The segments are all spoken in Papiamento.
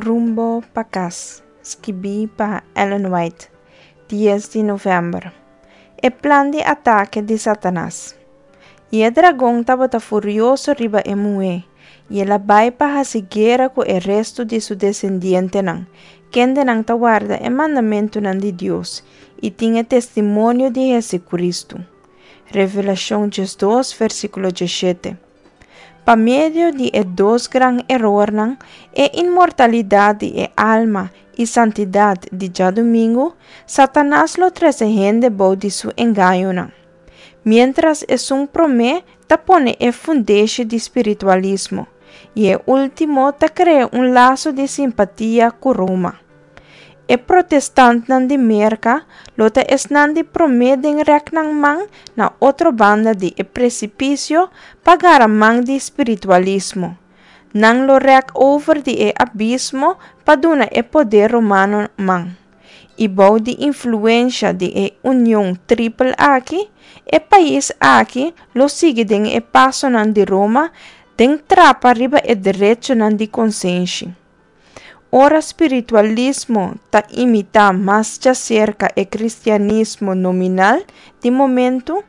Rumbo pa Kas, skibí pa Ellen White, dies di novèmber. E plan di atake di Satanas. I e dragon tabata furioso riba e muhé, i el a bai pa hasi guera ku e restu di su desendientenan, kendenan ta warda e mandamentunan di Dios i tin e testimonio di Hesukristu. Revelashon 12, versíkulo 17. Pa medio di e dos gran erornan, e inmortalidat di e alma i santidat di djadumingu, Satanas lo trese hende bou di su engañonan. Miéntras esun promé ta pone e fundeshi di spiritualismo, i e último ta krea un laso di simpatia ku Roma. E protestantnan di Merka lo ta esnan di promé den rèk nan man na otro banda di e presipisio pa gara man di spiritualismo. Nan lo rèk over di e abismo pa duna e poder romano man. I bou di influensha di e union tripel aki, e pais aki lo sigui den e pasonan di Roma den trapa riba e derechonan di konsenshi. Ora spiritualismo ta imitá mas djaserka e kristianismo nominal di momentu,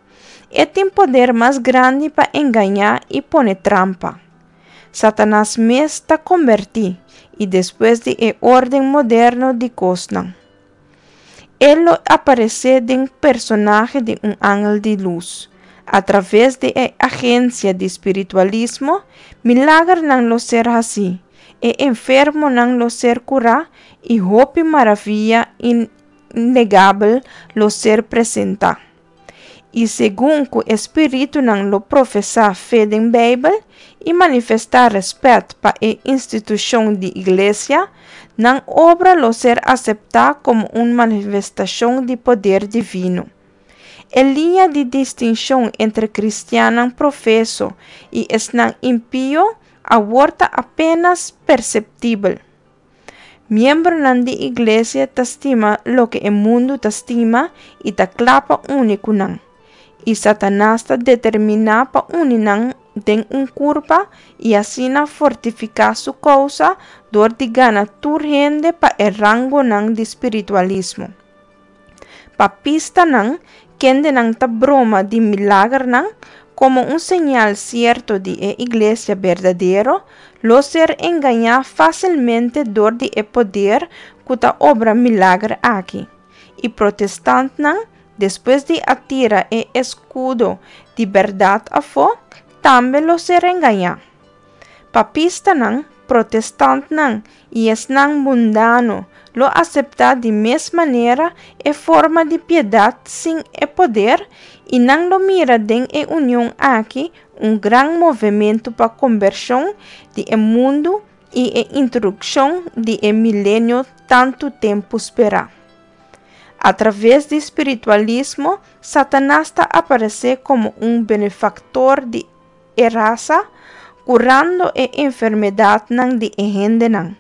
e tin poder mas grandi pa engañá i pone trampa. Satanas mes ta kombertí, i despues di e órden moderno di kosnan, e lo aparesé den personahe di un angel di lus. Atraves di e agensia di spiritualismo, milagernan lo ser hasí, e enfermonan lo ser kurá i hopi maravia innegabel lo ser presentá. I segun ku e spiritunan lo profesá fe den Beibel i manifestá rèspèt pa e institushon di iglesia, nan obra lo ser aseptá komo un manifestashon di poder divino. E liña di distinshon entre kristiannan profeso i esnan impio awor ta apénas perseptibel. Miembronan di iglesia ta stima loke e mundu ta stima i ta kla pa uni ku nan. I Satanas ta determiná pa uni nan den un kurpa i asina fortifiká su kousa dor di gana tur hende pa e rangonan di spiritualismo. Papistanan, kendenan ta broma di milagernan komo un señal sierto di e iglesia berdadero, lo ser engañá fásilmente dor di e poder ku ta obra milager aki. I protestantnan, despues di a tira e eskudo di bèrdat afó, tambe lo ser engañá. Papistanan, protestantnan i esnan mundano lo aseptá di mes manera e forma di piedat sin e poder i nan lo mira den e union aki un gran movementu pa kombershon di e mundu i e introdukshon di e milenio tantu tempu sperá. Atraves di spiritualismo, Satanas ta aparesé komo un benefaktor di e rasa, kurando e enfermedatnan di e hendenan,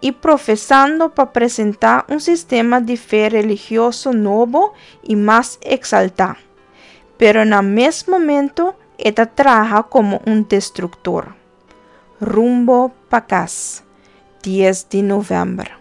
i profesando pa presentá un sistema di fe religioso nobo i mas eksaltá. Pero na mes momento e ta traha komo un destruktor. Rumbo pa kas, dies di novèmber.